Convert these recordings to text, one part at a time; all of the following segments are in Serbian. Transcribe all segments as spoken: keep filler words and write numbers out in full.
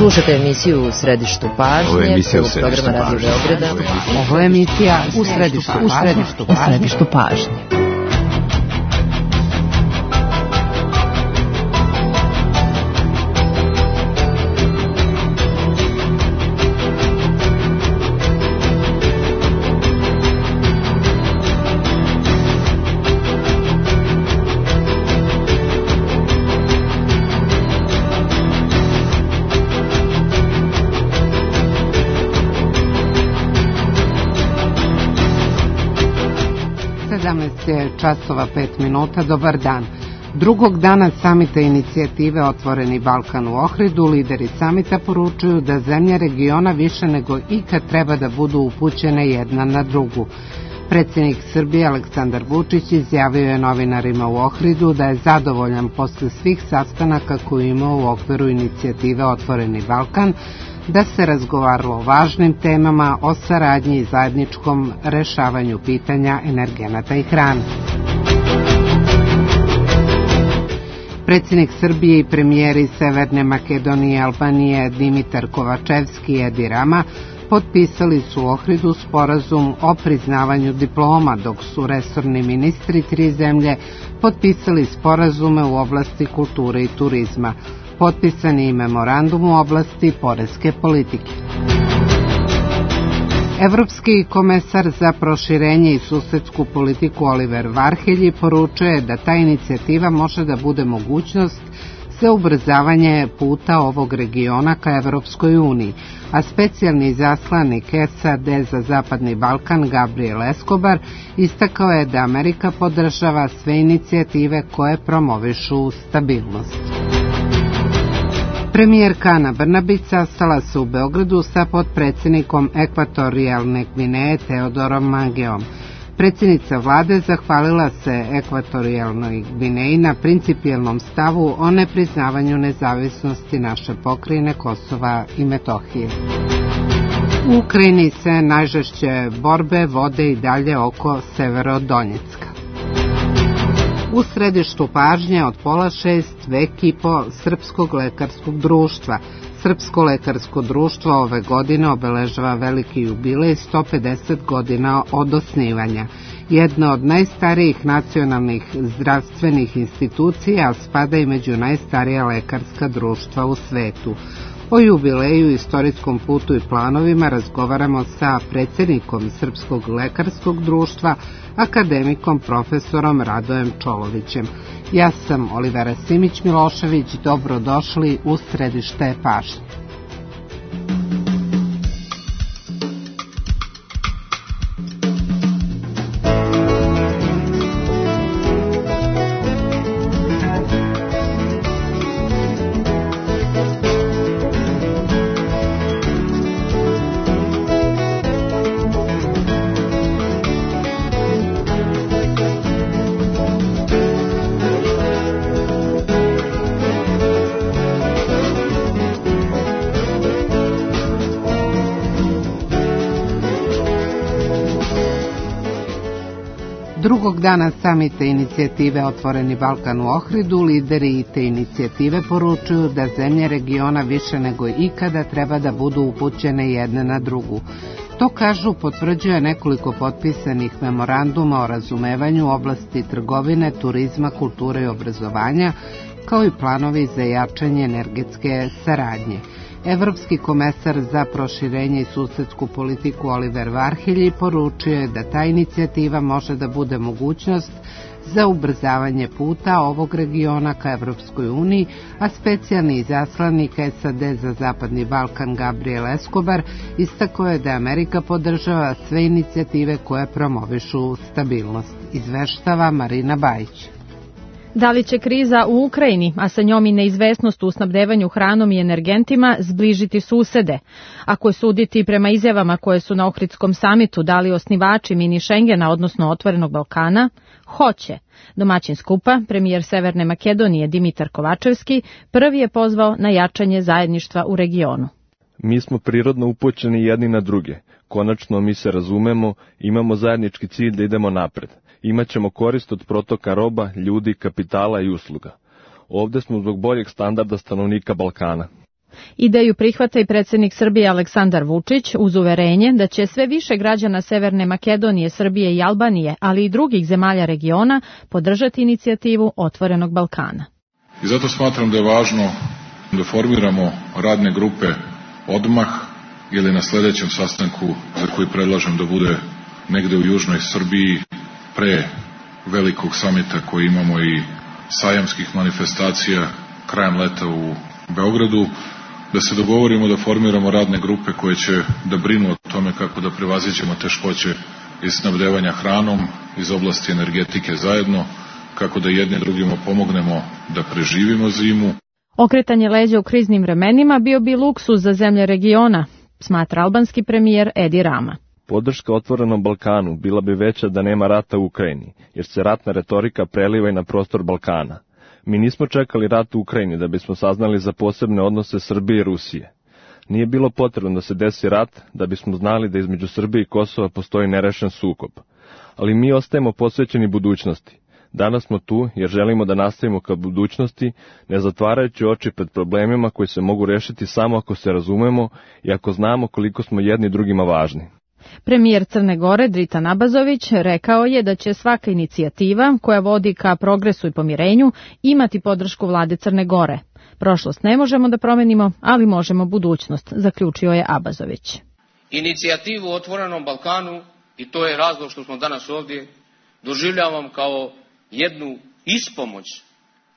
Slušajte emisiju U središtu pažnje. Ovo je emisija U središtu pažnje. Ovo je emisija U središtu pažnje. sedamnaest je časova pet minuta, dobar dan. Drugog dana samita inicijative Otvoreni Balkan u Ohridu, lideri samita poručuju da zemlje regiona više nego ikad treba da budu upućene jedna na drugu. Predsjednik Srbije Aleksandar Vučić izjavio je novinarima u Ohridu da je zadovoljan posle svih sastanaka koje imao u okviru inicijative Otvoreni Balkan, da se razgovaralo o važnim temama, o saradnji i zajedničkom rešavanju pitanja energenata i hrane. Predsjednik Srbije i premijeri Severne Makedonije i Albanije Dimitar Kovačevski i Edi Rama potpisali su u Ohridu sporazum o priznavanju diploma, dok su resorni ministri tri zemlje potpisali sporazume u oblasti kulture i turizma. Potpisan je i memorandum u oblasti poreske politike. Evropski komesar za proširenje i susedsku politiku Oliver Varhelji poručuje da ta inicijativa može da bude mogućnost za ubrzavanje puta ovog regiona ka Evropskoj uniji, a specijalni izaslanik S A D za Zapadni Balkan Gabriel Escobar istakao je da Amerika podržava sve inicijative koje promovišu stabilnost. Premijerka Ana Brnabić sastala se u Beogradu sa potpredsjednikom Ekvatorijalne Gvineje Teodorom Mangeom. Predsjednica vlade zahvalila se Ekvatorijalnoj Gvineji na principijelnom stavu o nepriznavanju nezavisnosti naše pokrajine Kosova i Metohije. U Ukrajini se najžešće borbe vode i dalje oko Severodonjecka. U središtu pažnje od pola šest vek i po Srpskog lekarskog društva. Srpsko lekarsko društvo ove godine obeležava veliki jubilej sto pedeset godina od osnivanja. Jedna od najstarijih nacionalnih zdravstvenih institucija, a spada i među najstarija lekarska društva u svetu. O jubileju, istorijskom putu i planovima razgovaramo sa predsjednikom Srpskog lekarskog društva, akademikom profesorom Radojem Čolovićem. Ja sam Olivera Simić-Milošević, dobrodošli u središte pažnje. Drugog dana samita inicijative Otvoreni Balkan u Ohridu, lideri te inicijative poručuju da zemlje regiona više nego ikada treba da budu upućene jedne na drugu. To, kažu, potvrđuje nekoliko potpisanih memoranduma o razumevanju u oblasti trgovine, turizma, kulture i obrazovanja, kao i planovi za jačanje energetske saradnje. Evropski komesar za proširenje i susedsku politiku Oliver Varhelji poručuje da ta inicijativa može da bude mogućnost za ubrzavanje puta ovog regiona ka Evropskoj uniji, a specijalni izaslanik S A D za Zapadni Balkan Gabriel Escobar istakao je da Amerika podržava sve inicijative koje promovišu stabilnost. Izveštava Marina Bajić. Da li će kriza u Ukrajini, a sa njom i neizvesnost u snabdevanju hranom i energentima, zbližiti susede? Ako je suditi prema izjavama koje su na Ohridskom samitu dali osnivači mini Šengena, odnosno Otvorenog Balkana, hoće. Domaćin skupa, premijer Severne Makedonije Dimitar Kovačevski, prvi je pozvao na jačanje zajedništva u regionu. Mi smo prirodno upućeni jedni na druge. Konačno mi se razumemo, imamo zajednički cilj da idemo napred. Imaćemo korist od protoka roba, ljudi, kapitala i usluga. Ovde smo zbog boljeg standarda stanovnika Balkana. Ideju prihvata i predsjednik Srbije Aleksandar Vučić uz uverenje da će sve više građana Severne Makedonije, Srbije i Albanije, ali i drugih zemalja regiona podržati inicijativu Otvorenog Balkana. I zato smatram da je važno da formiramo radne grupe odmah ili na sljedećem sastanku za koji predlažem da bude negde u južnoj Srbiji pre velikog samita koji imamo i sajamskih manifestacija krajem leta u Beogradu, da se dogovorimo da formiramo radne grupe koje će da brinu o tome kako da prevaziđemo teškoće iz snabdevanja hranom, iz oblasti energetike zajedno, kako da jedni drugima pomognemo da preživimo zimu. Okretanje leđa u kriznim vremenima bio bi luksuz za zemlje regiona, smatra albanski premijer Edi Rama. Podrška Otvorenom Balkanu bila bi veća da nema rata u Ukrajini, jer se ratna retorika preliva i na prostor Balkana. Mi nismo čekali rat u Ukrajini da bismo saznali za posebne odnose Srbije i Rusije. Nije bilo potrebno da se desi rat da bismo znali da između Srbije i Kosova postoji nerešen sukob. Ali mi ostajemo posvećeni budućnosti. Danas smo tu jer želimo da nastavimo ka budućnosti, ne zatvarajući oči pred problemima koji se mogu rešiti samo ako se razumemo i ako znamo koliko smo jedni drugima važni. Premijer Crne Gore Dritan Abazović rekao je da će svaka inicijativa koja vodi ka progresu i pomirenju imati podršku vlade Crne Gore. Prošlost ne možemo da promenimo, ali možemo budućnost, zaključio je Abazović. Inicijativu o Otvorenom Balkanu, i to je razlog što smo danas ovdje, doživljavam kao jednu ispomoć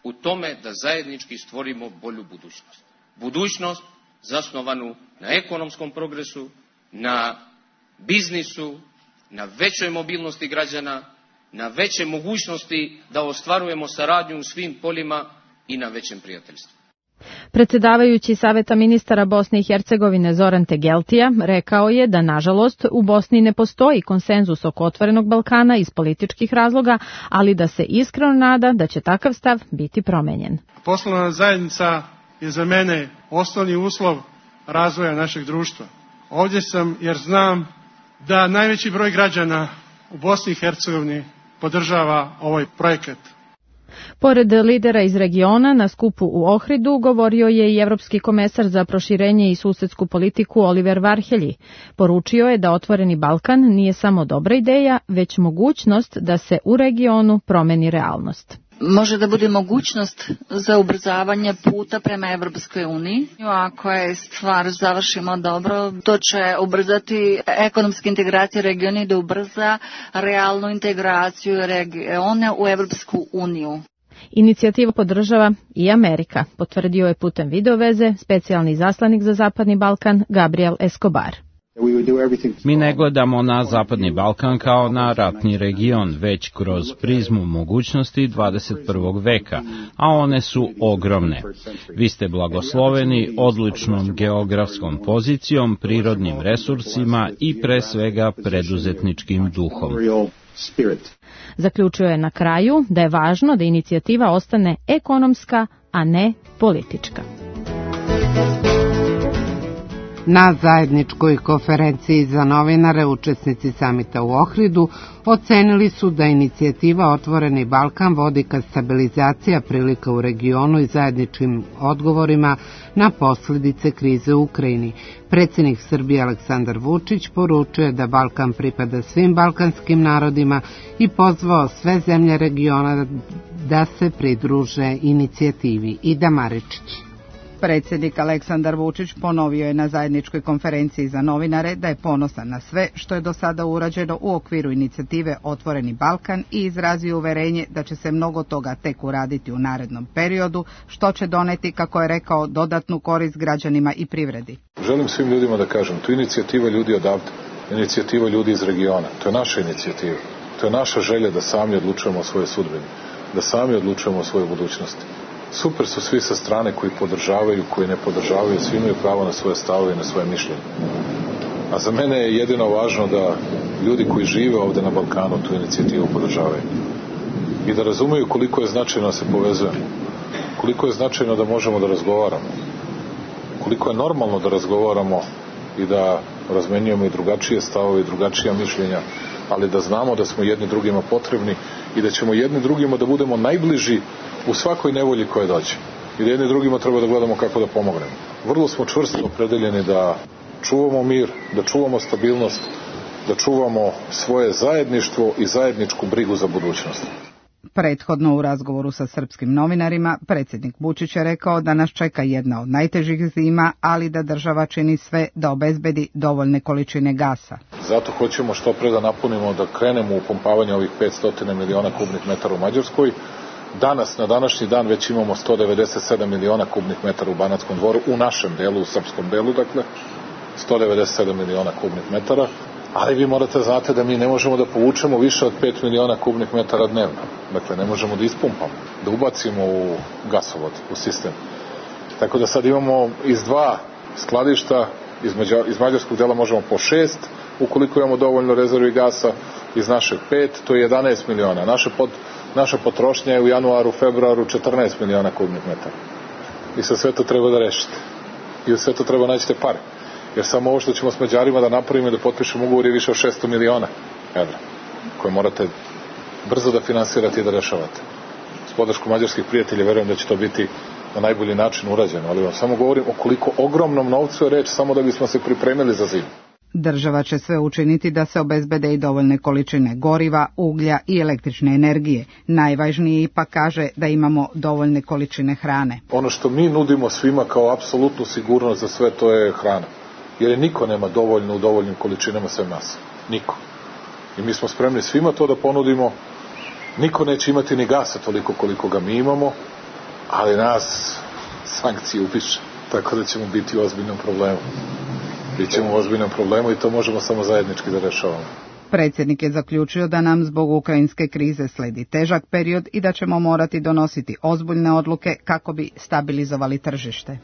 u tome da zajednički stvorimo bolju budućnost. Budućnost zasnovanu na ekonomskom progresu, na biznisu, na većoj mobilnosti građana, na veće mogućnosti da ostvarujemo saradnju u svim poljima i na većem prijateljstvu. Predsjedavajući Saveta ministara Bosne i Hercegovine Zoran Tegeltija rekao je da, nažalost, u Bosni ne postoji konsenzus oko Otvorenog Balkana iz političkih razloga, ali da se iskreno nada da će takav stav biti promenjen. Poslovna zajednica je za mene osnovni uslov razvoja našeg društva. Ovdje sam jer znam da najveći broj građana u Bosni i Hercegovini podržava ovaj projekat. Pored lidera iz regiona, na skupu u Ohridu govorio je i evropski komesar za proširenje i susedsku politiku Oliver Varhelji. Poručio je da Otvoreni Balkan nije samo dobra ideja, već mogućnost da se u regionu promeni realnost. Može da bude mogućnost za ubrzavanje puta prema Evropskoj uniji. Ako je stvar završimo dobro, to će ubrzati ekonomske integracije regiona i da ubrza realnu integraciju regiona u Evropsku uniju. Inicijativu podržava i Amerika, potvrdio je putem videoveze specijalni izaslanik za Zapadni Balkan Gabriel Escobar. Mi ne gledamo na Zapadni Balkan kao na ratni region, već kroz prizmu mogućnosti dvadeset prvog veka, a one su ogromne. Vi ste blagosloveni odličnom geografskom pozicijom, prirodnim resursima i pre svega preduzetničkim duhom. Zaključio je na kraju da je važno da inicijativa ostane ekonomska, a ne politička. Na zajedničkoj konferenciji za novinare učesnici samita u Ohridu ocenili su da inicijativa Otvoreni Balkan vodi ka stabilizacija prilika u regionu i zajedničkim odgovorima na posljedice krize u Ukrajini. Predsjednik Srbije Aleksandar Vučić poručuje da Balkan pripada svim balkanskim narodima i pozvao sve zemlje regiona da se pridruže inicijativi. Ida Maričić. Predsjednik Aleksandar Vučić ponovio je na zajedničkoj konferenciji za novinare da je ponosan na sve što je do sada urađeno u okviru inicijative Otvoreni Balkan i izrazio uverenje da će se mnogo toga tek uraditi u narednom periodu, što će doneti, kako je rekao, dodatnu korist građanima i privredi. Želim svim ljudima da kažem, to je inicijativa ljudi odavde, inicijativa ljudi iz regiona, to je naša inicijativa, to je naša želja da sami odlučujemo o svojoj sudbini, da sami odlučujemo o svojoj budućnosti. Super su svi sa strane koji podržavaju, koji ne podržavaju, svi imaju pravo na svoje stavove i na svoje mišljenje. A za mene je jedino važno da ljudi koji žive ovde na Balkanu tu inicijativu podržavaju. I da razumeju koliko je značajno da se povezujemo, koliko je značajno da možemo da razgovaramo, koliko je normalno da razgovaramo i da razmenjujemo i drugačije stavove i drugačija mišljenja, ali da znamo da smo jedni drugima potrebni i da ćemo jedni drugima da budemo najbliži u svakoj nevolji koja dođe. I da jedni drugima treba da gledamo kako da pomognemo. vrlo smo čvrsto opredeljeni da čuvamo mir, da čuvamo stabilnost, da čuvamo svoje zajedništvo i zajedničku brigu za budućnost. Prethodno u razgovoru sa srpskim novinarima, predsjednik Vučić je rekao da nas čeka jedna od najtežih zima, ali da država čini sve da obezbedi dovoljne količine gasa. Zato hoćemo što pre da napunimo, da krenemo u pumpavanje ovih petsto miliona kubnih metara u Mađarskoj. Danas, na današnji dan, već imamo sto devedeset sedam miliona kubnih metara u Banatskom Dvoru, u našem delu, u srpskom delu, dakle, sto devedeset sedam miliona kubnih metara. Ali vi morate znate da mi ne možemo da povučemo više od pet miliona kubnih metara dnevno. Dakle, ne možemo da ispumpamo, da ubacimo u gasovod, u sistem. Tako da sad imamo iz dva skladišta, iz, Mađar, iz mađarskog dela možemo po šest, ukoliko imamo dovoljno rezervi gasa, iz našeg pet, to je jedanaest miliona. Naše pod, naša potrošnja je u januaru, februaru četrnaest miliona kubnih metara. I sa sve to treba da rešite. I u sve to treba naći te pare. Jer samo ovo što ćemo s Mađarima da napravimo i da potpišemo ugovor je više od šesto miliona evra, koje morate brzo da finansirate i da rešavate. S podrškom mađarskih prijatelja verujem da će to biti na najbolji način urađeno, ali vam samo govorim o koliko ogromnom novcu je reč samo da bismo se pripremili za zimu. Država će sve učiniti da se obezbede i dovoljne količine goriva, uglja i električne energije. Najvažnije ipak kaže da imamo dovoljne količine hrane. Ono što mi nudimo svima kao apsolutnu sigurnost za sve to je hrana. Jer niko nema dovoljno u dovoljnim količinama sve nas. Niko. I mi smo spremni svima to da ponudimo. Niko neće imati ni gasa toliko koliko ga mi imamo, ali nas sankcije upiše. Tako da ćemo biti u ozbiljnom problemu. Bićemo u ozbiljnom problemu i to možemo samo zajednički da rešavamo. Predsjednik je zaključio da nam zbog ukrajinske krize sledi težak period i da ćemo morati donositi ozbiljne odluke kako bi stabilizovali tržište.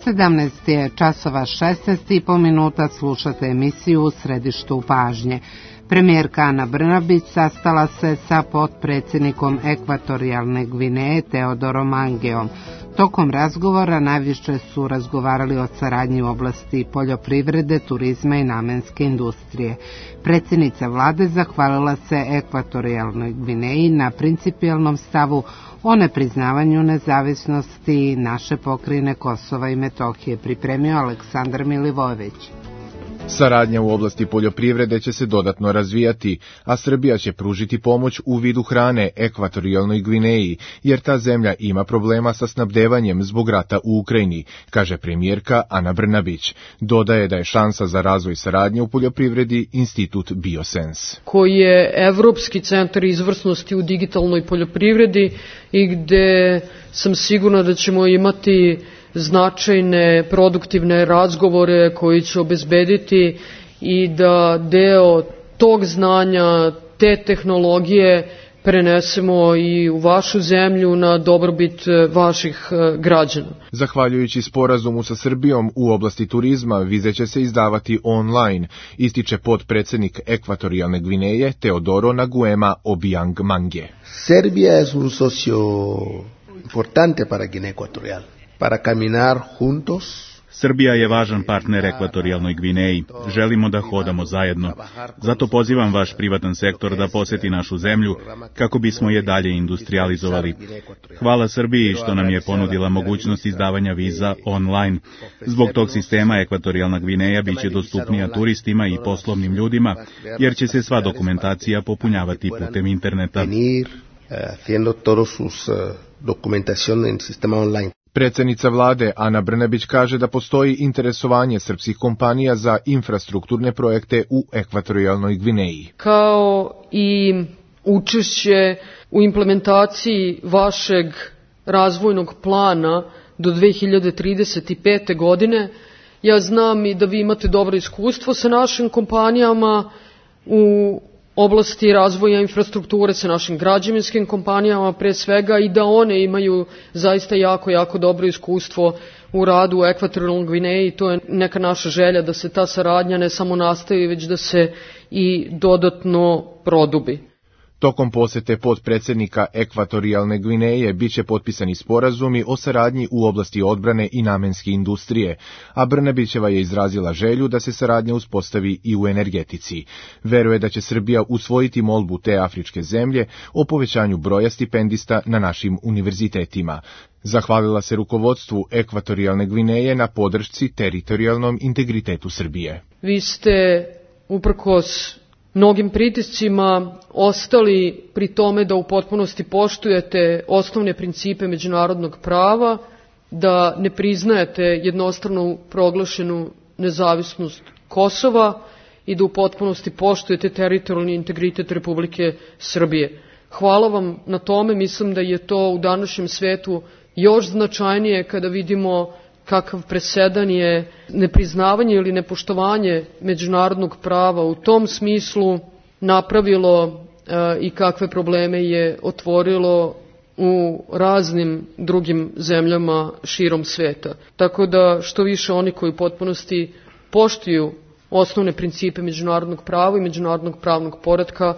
sedamnaest je časova šesnaest i po minuta, slušate emisiju U središtu pažnje. Premijerka Ana Brnabić sastala se sa potpredsjednikom Ekvatorijalne Gvineje Teodorom Mangeom. Tokom razgovora najviše su razgovarali o saradnji u oblasti poljoprivrede, turizma i namenske industrije. Predsjednica vlade zahvalila se Ekvatorijalnoj Gvineji na principijelnom stavu o nepriznavanju nezavisnosti naše pokrajine Kosova i Metohije, pripremio Aleksandar Milivojević. Saradnja u oblasti poljoprivrede će se dodatno razvijati, a Srbija će pružiti pomoć u vidu hrane Ekvatorijalnoj Gvineji, jer ta zemlja ima problema sa snabdevanjem zbog rata u Ukrajini, kaže premijerka Ana Brnabić. Dodaje da je šansa za razvoj saradnje u poljoprivredi Institut Biosens, koji je Evropski centar izvrsnosti u digitalnoj poljoprivredi i gde sam sigurna da ćemo imati značajne produktivne razgovore koji će obezbediti i da deo tog znanja, te tehnologije prenesemo i u vašu zemlju na dobrobit vaših građana. Zahvaljujući sporazumu sa Srbijom u oblasti turizma, vize će se izdavati online, ističe potpredsjednik Ekvatorijalne Gvineje Teodoro Naguema Obiang Mange. Serbia es un socio importante para Guinea Ecuatorial. Para caminar juntos. Srbija je važan partner Ekvatorijalnoj Gvineji. Želimo da hodamo zajedno. Zato pozivam vaš privatan sektor da poseti našu zemlju kako bismo je dalje industrializovali. Hvala Srbiji što nam je ponudila mogućnost izdavanja viza online. Zbog tog sistema Ekvatorijalna Gvineja biće dostupnija turistima i poslovnim ljudima, jer će se sva dokumentacija popunjavati putem interneta. Haciendo todos sus documentación en sistema online. Predsjednica vlade Ana Brnabić kaže da postoji interesovanje srpskih kompanija za infrastrukturne projekte u Ekvatorijalnoj Gvineji. Kao i učešće u implementaciji vašeg razvojnog plana do dve hiljade trideset pete. godine, ja znam i da vi imate dobro iskustvo sa našim kompanijama u oblasti razvoja infrastrukture, sa našim građevinskim kompanijama pre svega, i da one imaju zaista jako, jako dobro iskustvo u radu u Ekvatorijalnoj Gvineji. To je neka naša želja da se ta saradnja ne samo nastavi, već da se i dodatno produbi. Tokom posete potpredsednika Ekvatorijalne Gvineje biće potpisani sporazumi o saradnji u oblasti odbrane i namenske industrije, a Brnabićeva je izrazila želju da se saradnja uspostavi i u energetici. Veruje da će Srbija usvojiti molbu te afričke zemlje o povećanju broja stipendista na našim univerzitetima. Zahvalila se rukovodstvu Ekvatorijalne Gvineje na podršci teritorijalnom integritetu Srbije. Vi ste, uprkos mnogim pritiscima, ostali pri tome da u potpunosti poštujete osnovne principe međunarodnog prava, da ne priznajete jednostrano proglašenu nezavisnost Kosova i da u potpunosti poštujete teritorijalni integritet Republike Srbije. Hvala vam na tome, mislim da je to u današnjem svetu još značajnije kada vidimo kakav presedan je nepriznavanje ili nepoštovanje međunarodnog prava u tom smislu napravilo e, i kakve probleme je otvorilo u raznim drugim zemljama širom sveta. Tako da što više oni koji u potpunosti poštuju osnovne principe međunarodnog prava i međunarodnog pravnog poretka,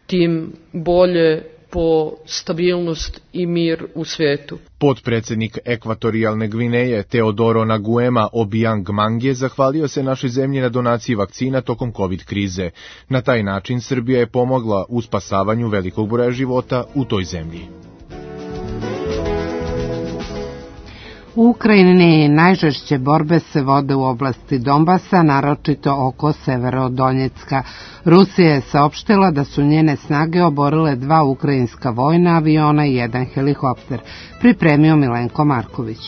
tim bolje po stabilnost i mir u svetu. Potpredsednik Ekvatorijalne Gvineje Teodoro Naguema Obiang Mange zahvalio se našoj zemlji na donaciji vakcina tokom COVID krize. Na taj način Srbija je pomogla u spasavanju velikog broja života u toj zemlji. U Ukrajini najžešće borbe se vode u oblasti Donbasa, naročito oko Severodonjecka. Rusija je saopštila da su njene snage oborile dva ukrajinska vojna aviona i jedan helikopter. Pripremio Milenko Marković.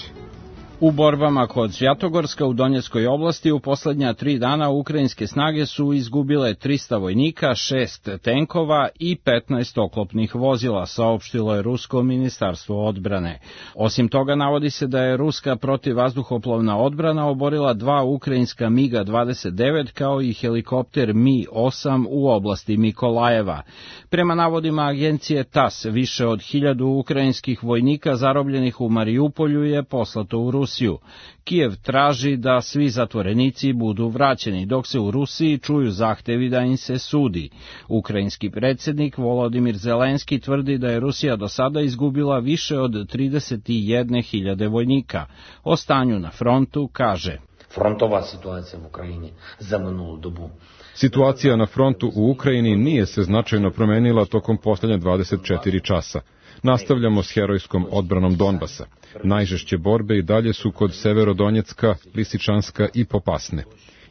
U borbama kod Svjatogorska u Donjeckoj oblasti u poslednja tri dana ukrajinske snage su izgubile trista vojnika, šest tenkova i petnaest oklopnih vozila, saopštilo je Rusko ministarstvo odbrane. Osim toga, navodi se da je ruska protivvazduhoplovna odbrana oborila dva ukrajinska MiG dvadeset devet kao i helikopter Mi osam u oblasti Mikolajeva. Prema navodima agencije TAS, više od hiljadu ukrajinskih vojnika zarobljenih u Marijupolju je poslato u Rusiju. Kijev traži da svi zatvorenici budu vraćeni, dok se u Rusiji čuju zahtevi da im se sudi. Ukrajinski predsjednik Volodimir Zelenski tvrdi da je Rusija do sada izgubila više od trideset jedne hiljade vojnika. O stanju na frontu kaže: Frontova situacija u Ukrajini za minulu dobu. Situacija na frontu u Ukrajini nije se značajno promenila tokom posljednje dvadeset četiri časa. Nastavljamo s herojskom odbranom Donbasa. Najžešće borbe i dalje su kod Severodonjecka, Lisičanska i Popasne.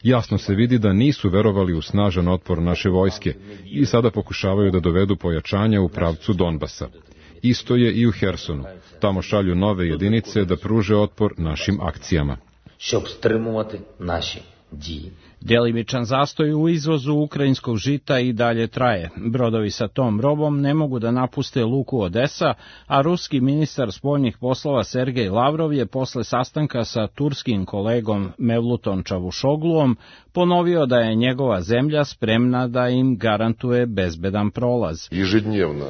Jasno se vidi da nisu verovali u snažan otpor naše vojske i sada pokušavaju da dovedu pojačanja u pravcu Donbasa. Isto je i u Hersonu. Tamo šalju nove jedinice da pruže otpor našim akcijama. Щоб стримувати наші дії. Delimičan zastoj u izvozu ukrajinskog žita i dalje traje. Brodovi sa tom robom ne mogu da napuste luku Odesa, a ruski ministar spoljnih poslova Sergej Lavrov je posle sastanka sa turskim kolegom Mevlutom Čavušogluom ponovio da je njegova zemlja spremna da im garantuje bezbedan prolaz. Ежедневно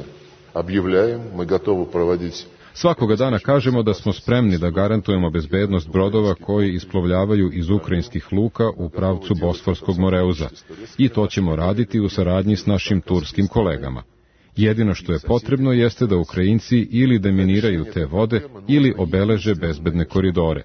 объявляем, мы готовы проводить. Svakoga dana kažemo da smo spremni da garantujemo bezbednost brodova koji isplovljavaju iz ukrajinskih luka u pravcu Bosforskog Moreuza. I to ćemo raditi u saradnji s našim turskim kolegama. Jedino što je potrebno jeste da Ukrajinci ili deminiraju te vode ili obeleže bezbedne koridore.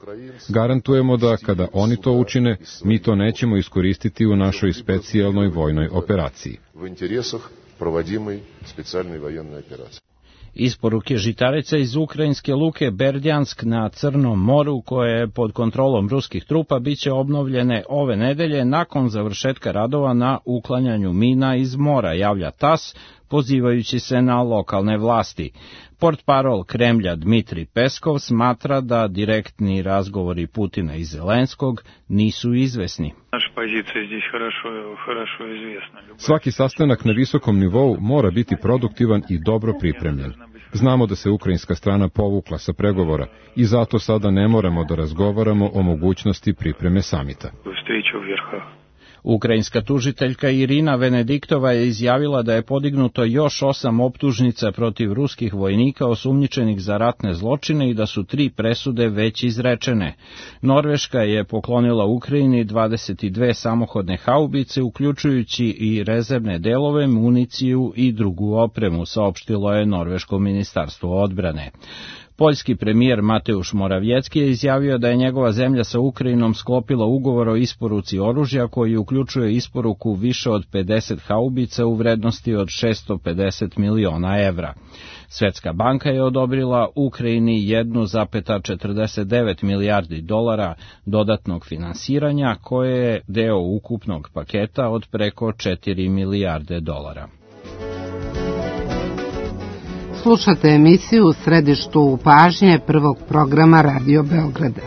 Garantujemo da kada oni to učine, mi to nećemo iskoristiti u našoj specijalnoj vojnoj operaciji. U interesih provodimoj specijalnoj vojnoj operaciji. Isporuke žitarica iz ukrajinske luke Berdjansk na Crnom moru, koje je pod kontrolom ruskih trupa, biće obnovljene ove nedelje nakon završetka radova na uklanjanju mina iz mora, javlja TAS, pozivajući se na lokalne vlasti. Portparol Kremlja Dmitri Peskov smatra da direktni razgovori Putina i Zelenskog nisu izvesni. Svaki sastanak na visokom nivou mora biti produktivan i dobro pripremljen. Znamo da se ukrajinska strana povukla sa pregovora i zato sada ne moramo da razgovaramo o mogućnosti pripreme samita. Ukrajinska tužiteljka Irina Venediktova je izjavila da je podignuto još osam optužnica protiv ruskih vojnika osumnjičenih za ratne zločine i da su tri presude već izrečene. Norveška je poklonila Ukrajini dvadeset dve samohodne haubice, uključujući i rezervne delove, municiju i drugu opremu, saopštilo je Norveško ministarstvo odbrane. Poljski premijer Mateusz Morawiecki je izjavio da je njegova zemlja sa Ukrajinom sklopila ugovor o isporuci oružja koji uključuje isporuku više od pedeset haubica u vrednosti od šesto pedeset miliona evra. Svetska banka je odobrila Ukrajini jedan zarez četrdeset devet milijardi dolara dodatnog finansiranja, koje je deo ukupnog paketa od preko četiri milijarde dolara. Slušate emisiju u središtu pažnje prvog programa Radio Beograda.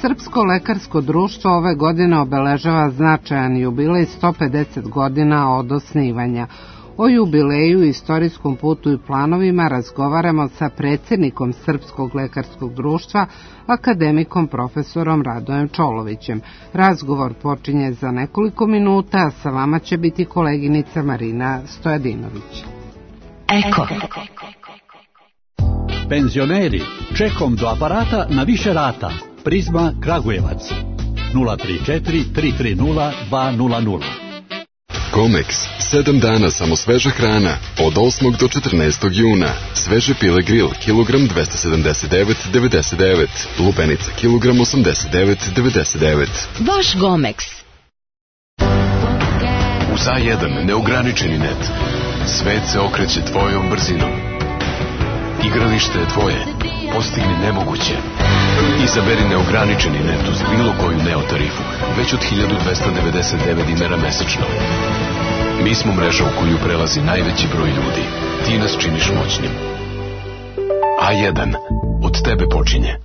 Srpsko lekarsko društvo ove godine obeležava značajan jubilej sto pedeset godina od osnivanja. O jubileju, istorijskom putu i planovima razgovaramo sa predsjednikom Srpskog lekarskog društva, akademikom profesorom Radojem Čolovićem. Razgovor počinje za nekoliko minuta, a sa vama će biti koleginica Marina Stojadinović. Eko. Penzioneri, čekom do aparata na više rata. Prizma Kragujevac. nula tri četiri tri tri nula dva nula nula. Comex, sedam dana samo sveža hrana, od osmog do četrnaestog juna. Sveže pile grill, kilogram dvesta sedamdeset devet zarez devedeset devet, lubenica, kilogram osamdeset devet zarez devedeset devet. Vaš Gomex. Uz A jedan neograničeni net. Svet se okreće tvojom brzinom. Igralište je tvoje. Postigni nemoguće. Izaberi neograničeni net uz bilo koju Neo tarifu, već od hiljadu dvesta devedeset devet dinara mesečno. Mi smo mreža u koju prelazi najveći broj ljudi. Ti nas činiš moćnim. A jedan. Od tebe počinje.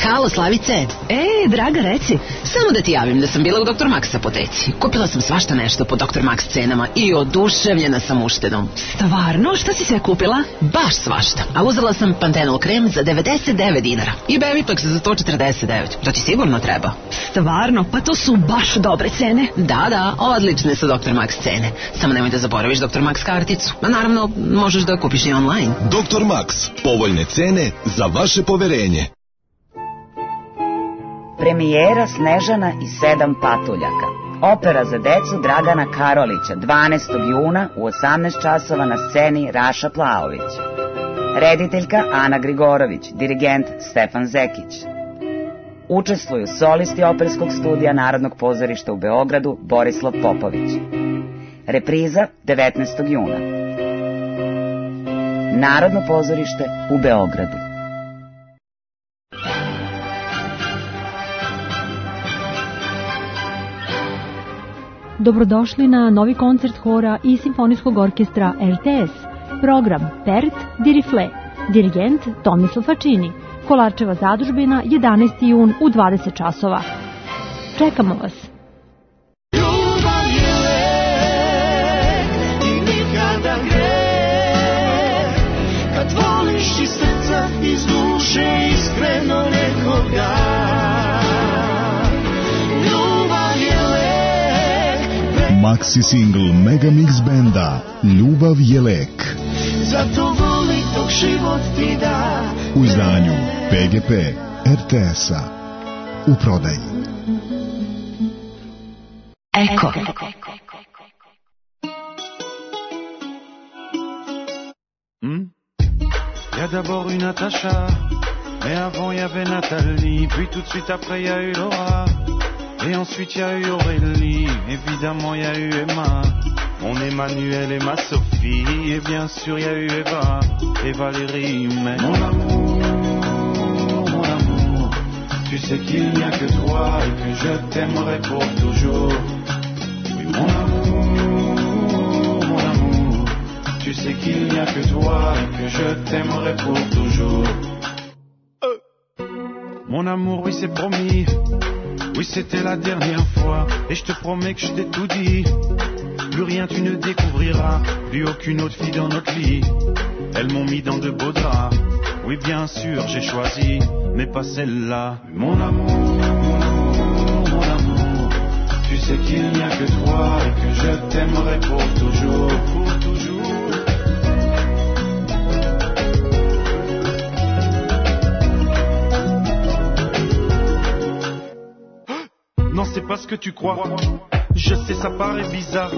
Halo, Slavice. E, draga, reci. Samo da ti javim da sam bila u doktor Max apoteci. Kupila sam svašta nešto po doktor Max cenama i oduševljena sam uštedom. Stvarno? Šta si sve kupila? Baš svašta. A uzela sam Pantenol krem za devedeset devet dinara i Beviplex za sto četrdeset devet. To ti sigurno treba. Stvarno? Pa to su baš dobre cene. Da, da, odlične su doktor Max cene. Samo nemoj da zaboraviš doktor Max karticu. A naravno, možeš da kupiš i online. doktor Max. Povoljne cene za vaše poverenje. Premijera Snežana i sedam patuljaka. Opera za decu Dragana Karolića, dvanaestog juna u osamnaest časova na sceni Raša Plaović. Rediteljka Ana Grigorović, dirigent Stefan Zekić. Učestvuju solisti Operskog studija Narodnog pozorišta u Beogradu Borislav Popović. Repriza devetnaestog juna. Narodno pozorište u Beogradu. Dobrodošli na novi koncert hora i simfonijskog orkestra R T S. Program Pert di Rifle. Dirigent Tomislav Fačini. Kolarčeva zadužbina, jedanaesti jun u dvadeset časova. Čekamo vas. Ljubav je lek i nikada greh, kad voliš iz srca, iz duše, iskreno nekoga. Maxi single Megamix benda Ljubav je lek. Zato voli dok život ti da. U izdanju P G P R T S-a. U prodaji. Eko. Hmm? Y a d'abord eu Natacha, mais avant y avait Nathalie, puis tout de suite après y a eu Laura. Et ensuite y a eu Aurélie, évidemment y a eu Emma, mon Emmanuel et ma Sophie, et bien sûr y a eu Eva et Valérie, mais mon amour, mon amour, tu sais qu'il n'y a que toi et que je t'aimerai pour toujours. Oui, mon amour, mon amour, tu sais qu'il n'y a que toi et que je t'aimerai pour toujours. Euh. Mon amour, oui c'est promis. Oui, c'était la dernière fois, et je te promets que je t'ai tout dit. Plus rien tu ne découvriras, plus aucune autre fille dans notre lit. Elles m'ont mis dans de beaux draps, Oui, bien sûr, j'ai choisi, mais pas celle-là. Mon amour, mon amour, tu sais qu'il n'y a que toi et que je t'aimerai pour toujours, pour toujours. Non, c'est pas ce que tu crois. Je sais, ça paraît bizarre.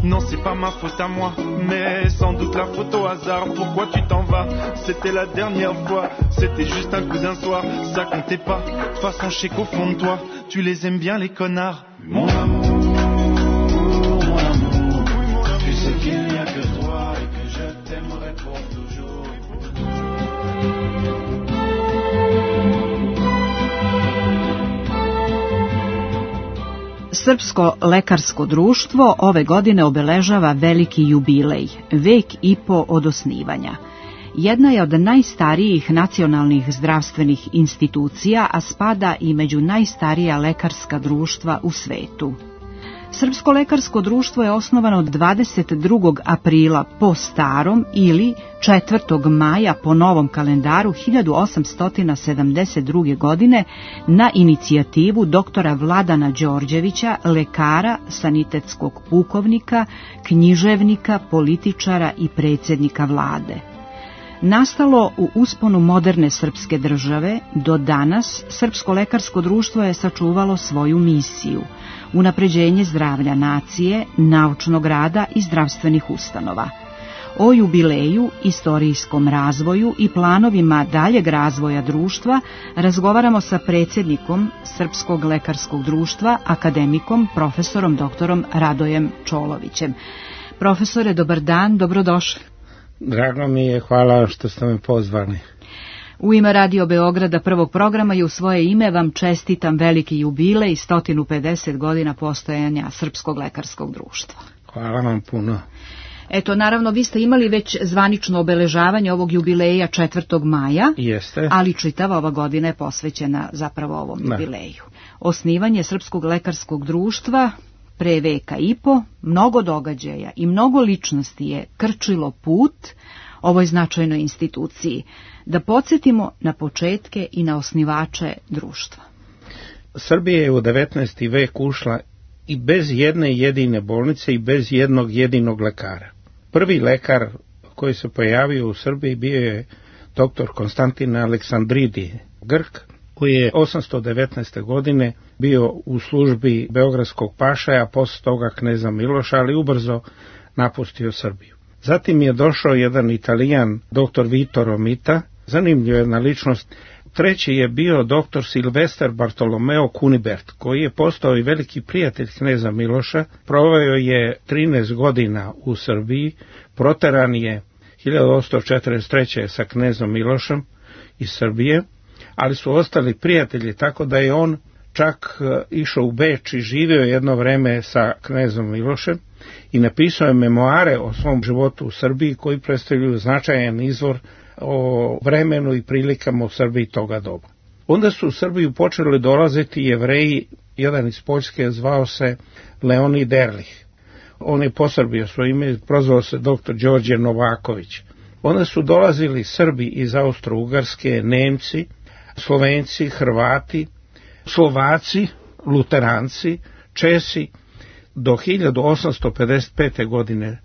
Non, c'est pas ma faute à moi, mais sans doute la faute au hasard. Pourquoi tu t'en vas? C'était la dernière fois. C'était juste un coup d'un soir, ça comptait pas. De toute façon, je sais qu'au fond de toi, tu les aimes bien les connards. Mon amour, mon amour, tu sais qu'il n'y a que toi et que je t'aimerai pour toujours. Srpsko lekarsko društvo ove godine obeležava veliki jubilej, vek i po od osnivanja. Jedna je od najstarijih nacionalnih zdravstvenih institucija, a spada i među najstarija lekarska društva u svetu. Srpsko lekarsko društvo je osnovano dvadeset drugog aprila po starom ili četvrtog maja po novom kalendaru hiljadu osamsto sedamdeset druge. godine na inicijativu doktora Vladana Đorđevića, lekara, sanitetskog pukovnika, književnika, političara i predsjednika vlade. Nastalo u usponu moderne srpske države, do danas Srpsko lekarsko društvo je sačuvalo svoju misiju – unapređenje zdravlja nacije, naučnog rada i zdravstvenih ustanova. O jubileju, istorijskom razvoju i planovima daljeg razvoja društva razgovaramo sa predsjednikom Srpskog lekarskog društva, akademikom, profesorom doktorom Radojem Čolovićem. Profesore, dobar dan, dobrodošli. Drago mi je, hvala što ste me pozvali. U ime Radio Beograda prvog programa i u svoje ime vam čestitam veliki jubilej i sto pedeset godina postojanja Srpskog lekarskog društva. Hvala vam puno. Eto, naravno, vi ste imali već zvanično obeležavanje ovog jubileja četvrtog maja, Jeste. ali čitava ova godina je posvećena zapravo ovom Da. jubileju. Osnivanje Srpskog lekarskog društva pre veka i po, mnogo događaja i mnogo ličnosti je krčilo put ovoj značajnoj instituciji. Da podsjetimo na početke i na osnivače društva. Srbija je u devetnaesti vek ušla i bez jedne jedine bolnice i bez jednog jedinog lekara. Prvi lekar koji se pojavio u Srbiji bio je doktor Konstantin Aleksandridi, Grk, koji je osamsto devetnaeste. godine bio u službi beogradskog pašaja, posle toga kneza Miloša, ali ubrzo napustio Srbiju. Zatim je došao jedan Italijan, doktor Vito Romita, zanimljiva jedna ličnost. Treći je bio doktor Silvestar Bartolomeo Kunibert, koji je postao i veliki prijatelj kneza Miloša. Proveo je trinaest godina u Srbiji, proteran je hiljadu osamsto četrdeset treće. sa knezom Milošem iz Srbije, ali su ostali prijatelji, tako da je on čak išao u Beč i živio jedno vreme sa knezom Milošem i napisao je memoare o svom životu u Srbiji koji predstavljaju značajan izvor o vremenu i prilikama u Srbiji toga doba. Onda su u Srbiju počeli dolaziti Jevreji, jedan iz Poljske zvao se Leonid Erlich. On je posrbio svoje ime, prozvao se doktor Đorđe Novaković. Onda su dolazili Srbi iz Austro-Ugarske, Nemci, Slovenci, Hrvati, Slovaci, Luteranci, Česi. Do hiljadu osamsto pedeset pete. godine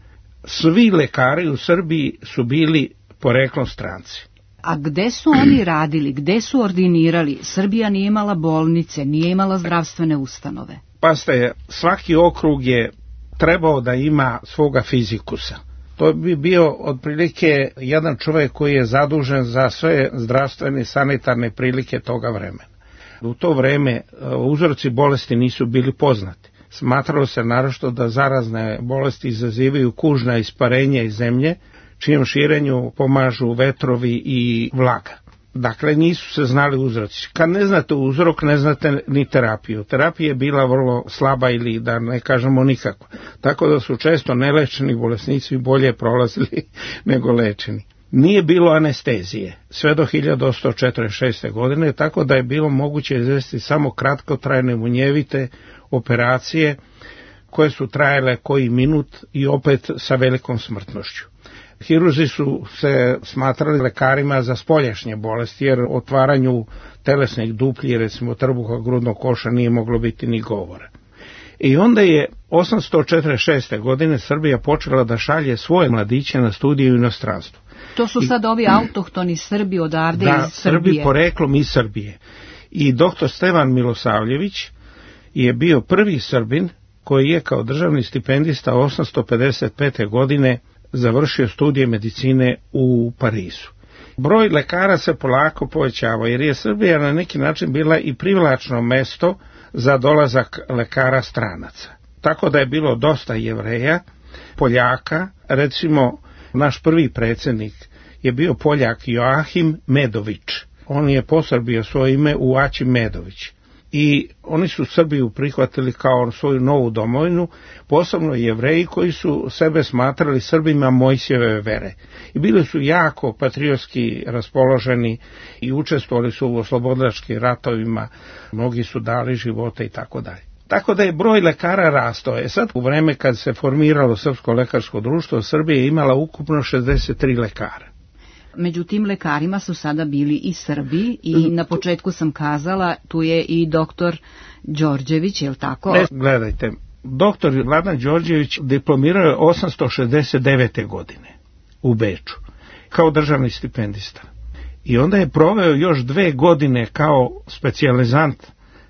svi lekari u Srbiji su bili poreklom stranci. A gde su oni radili, gde su ordinirali? Srbija nije imala bolnice, nije imala zdravstvene ustanove. Pa ste, svaki okrug je trebao da ima svoga fizikusa. To bi bio otprilike jedan čovjek koji je zadužen za sve zdravstvene i sanitarne prilike toga vremena. U to vreme uzroci bolesti nisu bili poznati. Smatralo se naročito da zarazne bolesti izazivaju kužna isparenja iz zemlje, čijem širenju pomažu vetrovi i vlaga. Dakle, nisu se znali uzroci. Kad ne znate uzrok, ne znate ni terapiju. Terapija je bila vrlo slaba ili da ne kažemo nikako. Tako da su često nelečeni bolesnici bolje prolazili nego lečeni. Nije bilo anestezije sve do hiljadu osamsto četrdeset šeste. godine, tako da je bilo moguće izvesti samo kratkotrajne munjevite operacije koje su trajale koji minut i opet sa velikom smrtnošću. Hirurzi su se smatrali lekarima za spoljašnje bolesti, jer o otvaranju telesnih duplji, recimo trbuha, grudnog koša, nije moglo biti ni govora. I onda je osamsto četrdeset šeste. godine Srbija počela da šalje svoje mladiće na studije u inostranstvu. To su sad I, ovi autohtoni Srbi odavde da, iz Srbije. Srbi poreklom iz Srbije. I doktor Stevan Milosavljević je bio prvi Srbin koji je kao državni stipendista osamsto pedeset pete. godine završio studije medicine u Parizu. Broj lekara se polako povećava, jer je Srbija na neki način bila i privlačno mesto za dolazak lekara stranaca. Tako da je bilo dosta Jevreja, Poljaka, recimo naš prvi predsjednik je bio Poljak Joahim Medović. On je posrbio svoje ime u Aći Medović. I oni su Srbiju prihvatili kao svoju novu domovinu, posebno Jevreji koji su sebe smatrali Srbima Mojsijeve vere. I bili su jako patriotski raspoloženi i učestvovali su u oslobodilačkim ratovima, mnogi su dali živote i tako dalje. Tako da je broj lekara rastao. E sad, u vreme kad se formiralo Srpsko lekarsko društvo, Srbija je imala ukupno šezdeset tri lekara. Među tim lekarima su sada bili i Srbi i na početku sam kazala, tu je i doktor Đorđević, je li tako? Ne, gledajte, doktor Vladan Đorđević diplomirao je osamsto šezdeset devete. godine u Beču kao državni stipendista. I onda je proveo još dve godine kao specijalizant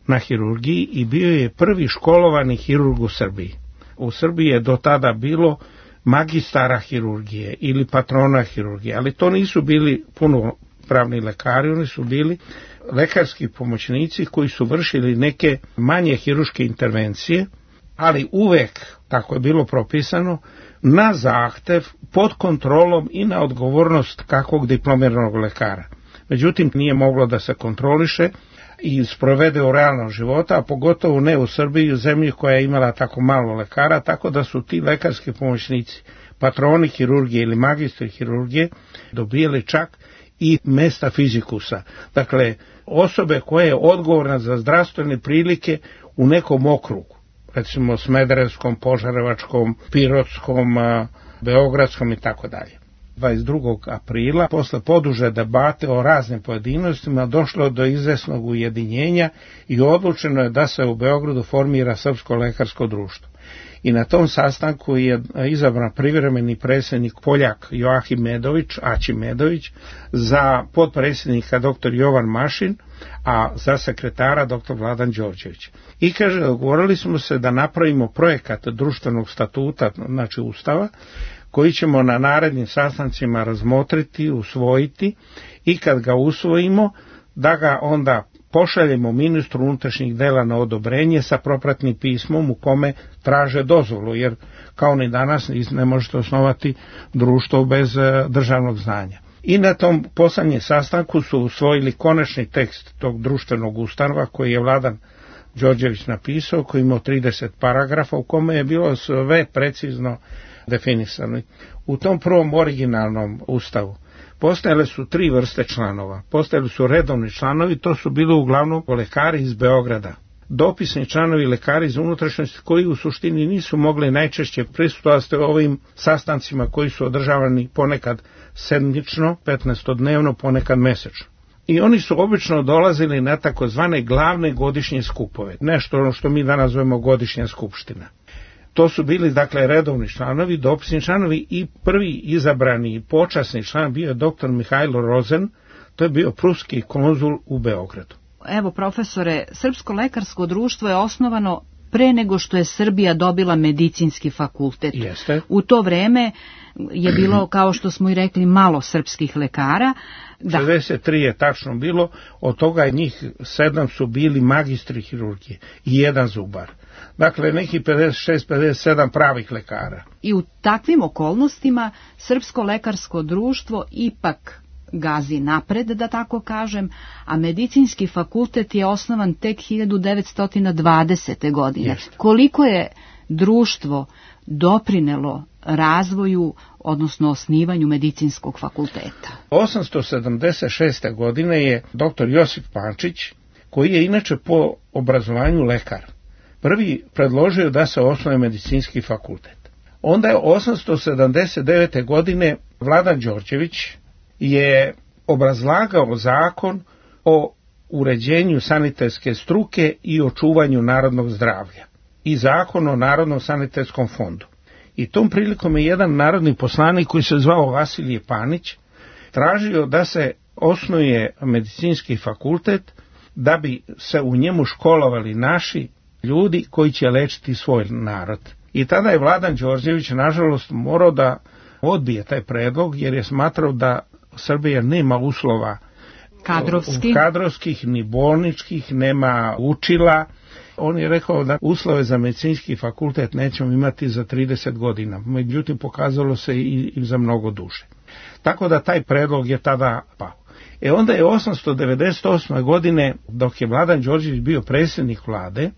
na hirurgiji i bio je prvi školovani hirurg u Srbiji. U Srbiji je do tada bilo magistara hirurgije ili patrona hirurgije, ali to nisu bili punopravni lekari, oni su bili lekarski pomoćnici koji su vršili neke manje hirurške intervencije, ali uvek, tako je bilo propisano, na zahtev, pod kontrolom i na odgovornost kakvog diplomiranog lekara. Međutim, nije moglo da se kontroliše i sprovede u realnom života, a pogotovo ne u Srbiji, u zemlji koja je imala tako malo lekara, tako da su ti lekarski pomoćnici, patroni hirurgije ili magistri hirurgije, dobijali čak i mesta fizikusa. Dakle, osobe koja je odgovorna za zdravstvene prilike u nekom okrugu, recimo Smederevskom, Požarevačkom, Pirotskom, Beogradskom i tako dalje. dvadeset drugog aprila, posle poduže debate o raznim pojedinostima, došlo do izvesnog ujedinjenja i odlučeno je da se u Beogradu formira Srpsko lekarsko društvo. I na tom sastanku je izabran privremeni predsjednik Poljak Joahim Medović, Aći Medović, za potpredsjednika doktor Jovan Mašin, a za sekretara doktor Vladan Đorđević. I kaže, dogovorili smo se da napravimo projekat društvenog statuta, znači ustava, koji ćemo na narednim sastancima razmotriti, usvojiti i kad ga usvojimo, da ga onda pošaljemo ministru unutrašnjih dela na odobrenje sa propratnim pismom u kome traže dozvolu, jer kao ni danas ne možete osnovati društvo bez državnog znanja. I na tom poslednjem sastanku su usvojili konačni tekst tog društvenog ustava koji je Vladan Đorđević napisao, koji imao trideset paragrafa u kome je bilo sve precizno definisano. U tom prvom originalnom ustavu postojale su tri vrste članova. Postojali su redovni članovi, to su bili uglavnom lekari iz Beograda. Dopisni članovi lekari iz unutrašnjosti koji u suštini nisu mogli najčešće prisustvovati ovim sastancima koji su održavani ponekad sedmično, petnaestodnevno, ponekad mesečno. I oni su obično dolazili na takozvane glavne godišnje skupove, nešto ono što mi danas zovemo godišnja skupština. To su bili, dakle, redovni članovi, dopisni članovi i prvi izabrani počasni član bio je doktor Mihajlo Rozen, to je bio pruski konzul u Beogradu. Evo, profesore, Srpsko lekarsko društvo je osnovano pre nego što je Srbija dobila medicinski fakultet. Jeste. U to vreme je bilo, kao što smo i rekli, malo srpskih lekara. Da. šezdeset tri je tačno bilo, od toga njih sedam su bili magistri hirurgije i jedan zubar. Dakle, neki pedeset šest pedeset sedam pravih lekara. I u takvim okolnostima Srpsko lekarsko društvo ipak gazi napred, da tako kažem, a medicinski fakultet je osnovan tek hiljadu devetsto dvadesete. godine. Jeste. Koliko je društvo doprinelo razvoju, odnosno osnivanju medicinskog fakulteta? osamsto sedamdeset šeste. godine je doktor Josip Pančić, koji je inače po obrazovanju lekar, prvi predložio da se osnuje medicinski fakultet. Onda je osamsto sedamdeset devete. godine Vladan Đorđević je obrazlagao zakon o uređenju sanitetske struke i očuvanju narodnog zdravlja i zakon o Narodnom sanitetskom fondu. I tom prilikom je jedan narodni poslanik koji se zvao Vasilije Panić tražio da se osnuje medicinski fakultet da bi se u njemu školovali naši ljudi koji će lečiti svoj narod. I tada je Vladan Đorđević nažalost morao da odbije taj predlog jer je smatrao da Srbija nema uslova Kadrovski. kadrovskih ni bolničkih, nema učila. On je rekao da uslove za medicinski fakultet nećemo imati za trideset godina, međutim pokazalo se i, i za mnogo duže. Tako da taj predlog je tada pao. E onda je osamsto devedeset osme. godine, dok je Vladan Đorđević bio predsjednik vlade,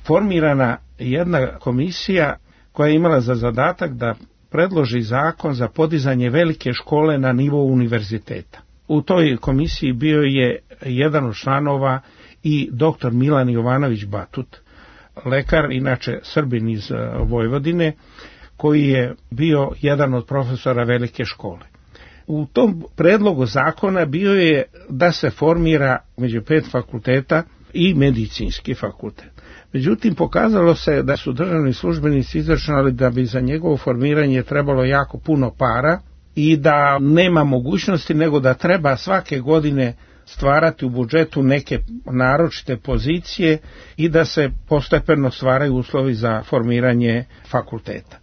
formirana jedna komisija koja je imala za zadatak da predloži zakon za podizanje velike škole na nivou univerziteta. U toj komisiji bio je jedan od članova i doktor Milan Jovanović Batut, lekar, inače Srbin iz Vojvodine, koji je bio jedan od profesora velike škole. U tom predlogu zakona bio je da se formira među pet fakulteta i medicinski fakultet. Međutim, pokazalo se da su državni službenici izračunali da bi za njegovo formiranje trebalo jako puno para i da nema mogućnosti nego da treba svake godine stvarati u budžetu neke naročite pozicije i da se postepeno stvaraju uslovi za formiranje fakulteta.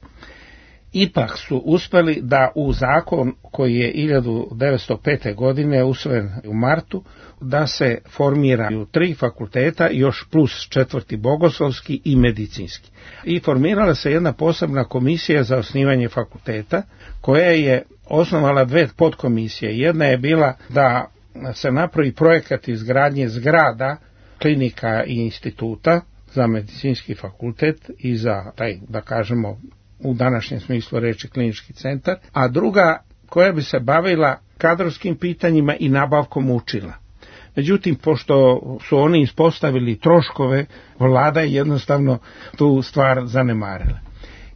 Ipak su uspeli da u zakon koji je hiljadu devetsto pete. godine usvojen u martu, da se formiraju tri fakulteta, još plus četvrti bogoslovski i medicinski. I formirala se jedna posebna komisija za osnivanje fakulteta, koja je osnovala dve podkomisije. Jedna je bila da se napravi projekat izgradnje zgrada, klinika i instituta za medicinski fakultet i za taj, da kažemo, u današnjem smislu reči klinički centar, a druga koja bi se bavila kadrovskim pitanjima i nabavkom učila. Međutim, pošto su oni ispostavili troškove, vlada je jednostavno tu stvar zanemarila.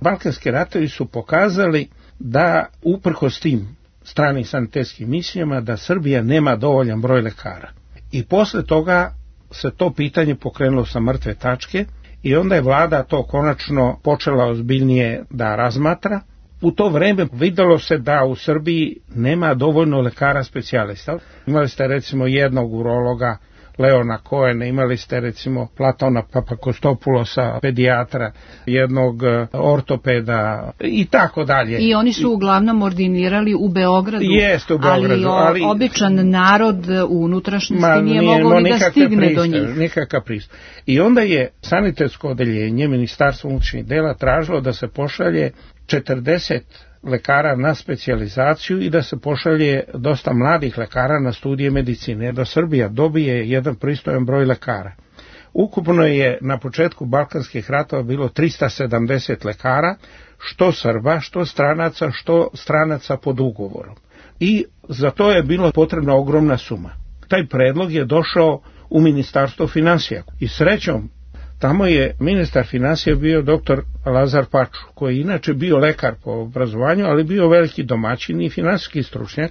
Balkanski ratovi su pokazali da uprkos tim stranim sanitetskim misijama da Srbija nema dovoljan broj lekara. I posle toga se to pitanje pokrenulo sa mrtve tačke i onda je vlada to konačno počela ozbiljnije da razmatra. U to vreme videlo se da u Srbiji nema dovoljno lekara specijalista. Imali ste recimo jednog urologa, Leona Koena, imali ste recimo Platona Papakostopulosa, pedijatra, jednog ortopeda i tako dalje. I oni su uglavnom ordinirali u Beogradu, Jeste u Beogradu, ali, ali običan narod u unutrašnjosti nije mogao ni da stigne pristup, do njih. Nikakav pristup. I onda je sanitetsko odeljenje Ministarstvo unutrašnjih dela tražilo da se pošalje četrdeset lekara na specijalizaciju i da se pošalje dosta mladih lekara na studije medicine, da Srbija dobije jedan pristojan broj lekara. Ukupno je na početku Balkanskih ratova bilo trista sedamdeset lekara, što Srba, što stranaca, što stranaca pod ugovorom. I za to je bilo potrebna ogromna suma. Taj predlog je došao u Ministarstvo finansija i srećom tamo je ministar finansija bio doktor Lazar Paču, koji je inače bio lekar po obrazovanju, ali bio veliki domaćin i finansijski stručnjak.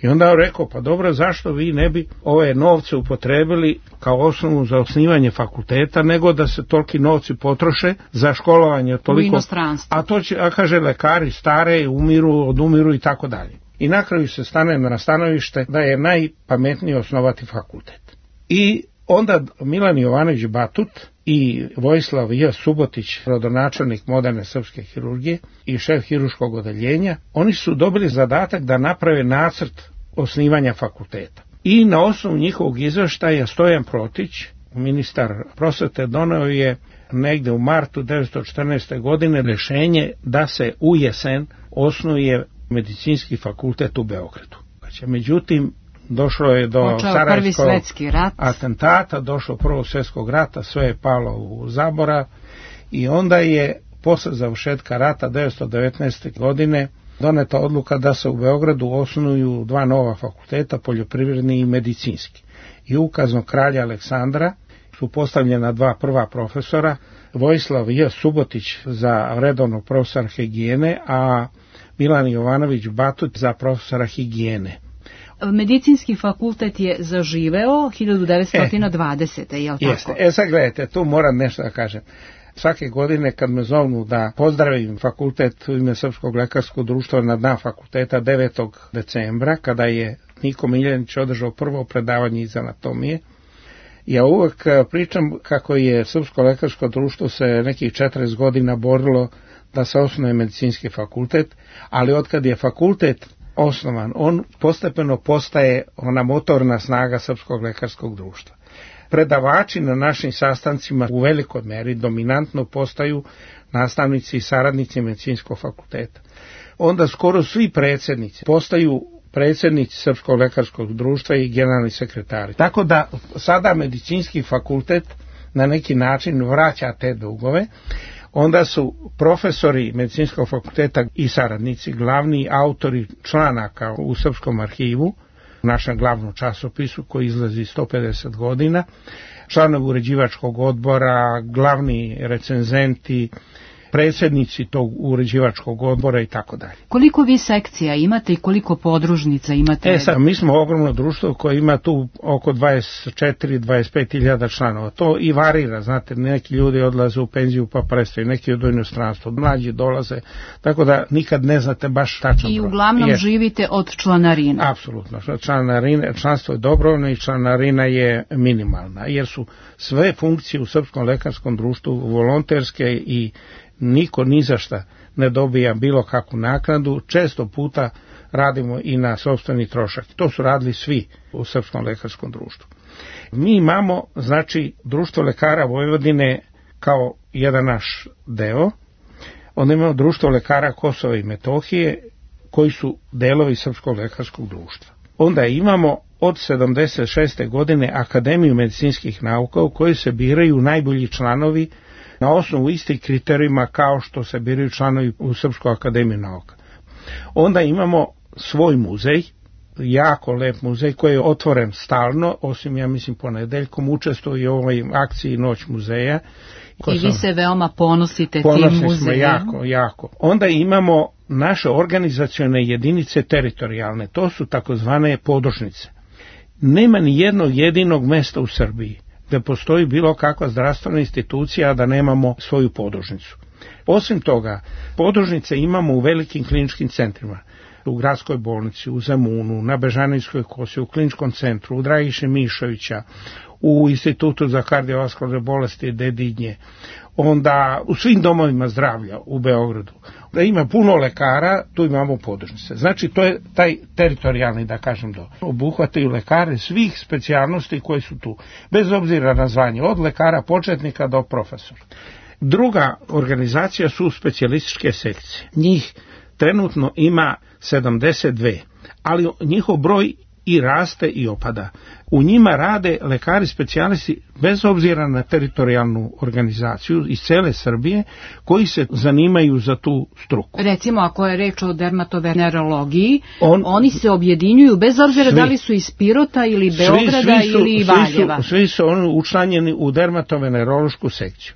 I onda je rekao, pa dobro, zašto vi ne bi ove novce upotrebili kao osnovu za osnivanje fakulteta, nego da se toliki novci potroše za školovanje toliko, u inostranstvu. A to će, a kaže, lekari stare, umiru, odumiru i tako dalje. I na kraju se stane na stanovište da je najpametnije osnovati fakultet. I onda Milan Jovanović Batut i Vojislav J. Subotić, rodonačelnik moderne srpske hirurgije i šef hirurškog odeljenja, oni su dobili zadatak da naprave nacrt osnivanja fakulteta. I na osnovu njihovog izveštaja Stojan Protić, ministar prosvete, doneo je negde u martu devetsto četrnaeste. godine rješenje da se u jesen osnuje medicinski fakultet u Beogradu. Međutim, došlo je do sarajevskog atentata, došlo prvog svjetskog rata, sve je palo u zaborav i onda je posle završetka rata devetsto devetnaeste. godine doneta odluka da se u Beogradu osnuju dva nova fakulteta, poljoprivredni i medicinski. I ukazom kralja Aleksandra su postavljena dva prva profesora, Vojislav J. Subotić za redovnog profesora higijene, a Milan Jovanović Batut za profesora higijene. Medicinski fakultet je zaživeo hiljadu devetsto dvadesete. je li tako? Jeste. E sad gledajte, tu moram nešto da kažem. Svake godine kad me zovnu da pozdravim fakultet u ime Srpskog lekarskog društva na dan fakulteta devetog decembra, kada je Niko Miljanić održao prvo predavanje iz anatomije, ja uvek pričam kako je Srpsko lekarsko društvo se nekih četrdeset godina borilo da se osnuje medicinski fakultet, ali otkad je fakultet osnovan, on postepeno postaje ona motorna snaga Srpskog lekarskog društva. Predavači na našim sastancima u velikoj meri dominantno postaju nastavnici i saradnici medicinskog fakulteta. Onda skoro svi predsjednici postaju predsjednici Srpskog lekarskog društva i generalni sekretari. Tako da sada medicinski fakultet na neki način vraća te dugove. Onda su profesori medicinskog fakulteta i saradnici glavni autori članaka u Srpskom arhivu, u našem glavnom časopisu koji izlazi sto pedeset godina, članovi uređivačkog odbora, glavni recenzenti, predsjednici tog uređivačkog odbora i tako dalje. Koliko vi sekcija imate i koliko podružnica imate? E sad, mi smo ogromno društvo koje ima tu oko dvadeset četiri do dvadeset pet hiljada članova. To i varira, znate, neki ljudi odlaze u penziju pa prestaju, neki od inostranstva, mlađi dolaze, tako da nikad ne znate baš tačan broj. I uglavnom je, živite od članarine? Apsolutno, članarine, članstvo je dobrovoljno i članarina je minimalna, jer su sve funkcije u Srpskom lekarskom društvu volonterske i niko ni za šta ne dobija bilo kakvu naknadu, često puta radimo i na sopstveni trošak. To su radili svi u Srpskom lekarskom društvu. Mi imamo, znači, Društvo lekara Vojvodine kao jedan naš deo, onda imamo Društvo lekara Kosova i Metohije, koji su delovi Srpskog lekarskog društva. Onda imamo od sedamdeset šeste godine Akademiju medicinskih nauka u kojoj se biraju najbolji članovi na osnovu istih kriterijuma kao što se biraju članovi u Srpskoj akademiji nauka. Onda imamo svoj muzej, jako lep muzej koji je otvoren stalno, osim ja mislim ponedeljkom, učestvuje u ovoj akciji Noć muzeja. I vi se veoma ponosite tim muzejem. Ponosni smo jako, jako. Onda imamo naše organizacione jedinice teritorijalne, to su takozvane podružnice. Nema ni jednog jedinog mesta u Srbiji da postoji bilo kakva zdravstvena institucija, a da nemamo svoju podružnicu. Osim toga, podružnice imamo u velikim kliničkim centrima, u gradskoj bolnici, u Zemunu, na Bežanijskoj kosi, u kliničkom centru, u Dragiše Mišovića, u Institutu za kardiovaskularne bolesti Dedinje, onda u svim domovima zdravlja u Beogradu. Da ima puno lekara, tu imamo podružnice. Znači, to je taj teritorijalni, da kažem, do. Obuhvataju lekare svih specijalnosti koje su tu, bez obzira na zvanje, od lekara početnika do profesora. Druga organizacija su specijalističke sekcije. Njih trenutno ima sedamdeset dve, ali njihov broj i raste i opada. U njima rade lekari specijalisti bez obzira na teritorijalnu organizaciju iz cele Srbije koji se zanimaju za tu struku. Recimo ako je reč o dermatovenerologiji, On, oni se objedinjuju bez obzira svi, da li su iz Pirota ili Beograda svi, svi su, ili Valjeva. Svi su, svi su oni učlanjeni u dermatovenerološku sekciju.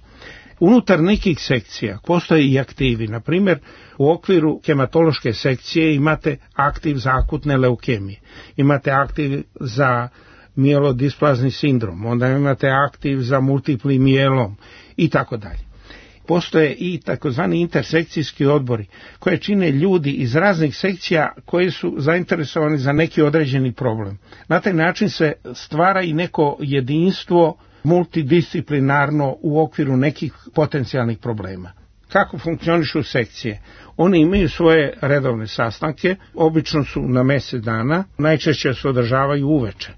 Unutar nekih sekcija postoje i aktivi. Na primjer, u okviru hematološke sekcije imate aktiv za akutne leukemije, imate aktiv za mielodisplazni sindrom, onda imate aktiv za multipli mijelom i tako dalje. Postoje i takozvani intersekcijski odbori koje čine ljudi iz raznih sekcija koji su zainteresovani za neki određeni problem. Na taj način se stvara i neko jedinstvo multidisciplinarno u okviru nekih potencijalnih problema. Kako funkcionišu sekcije? One imaju svoje redovne sastanke, obično su na mjesec dana, najčešće se održavaju uveče,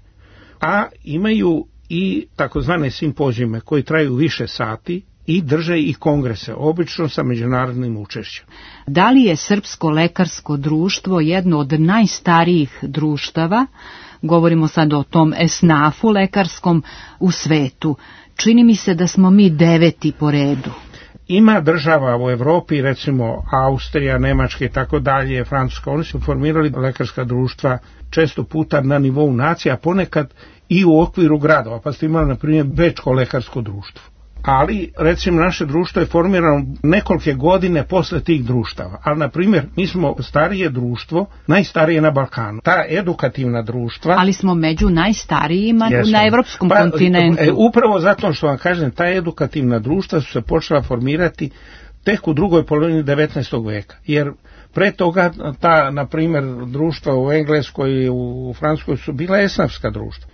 a imaju i takozvane simpozijume koji traju više sati i drže i kongrese, obično sa međunarodnim učešćem. Da li je Srpsko lekarsko društvo jedno od najstarijih društava, govorimo sad o tom esnafu lekarskom u svetu? Čini mi se da smo mi deveti po redu. Ima država u Evropi, recimo Austrija, Nemačka i tako dalje, Francuska, oni su formirali lekarska društva često puta na nivou nacija, ponekad i u okviru gradova, pa ste imali na primjer Bečko lekarsko društvo, ali recimo naše društvo je formirano nekolike godine posle tih društava. Ali na primjer mi smo starije društvo, najstarije na Balkanu. Ta edukativna društva... Ali smo među najstarijima jesmo. Na evropskom pa, kontinentu. E, upravo zato što vam kažem, ta edukativna društva su se počela formirati tek u drugoj polovini devetnaestog veka. Jer pre toga ta, na primjer, društva u Engleskoj i u Francuskoj su bila esnafska društva.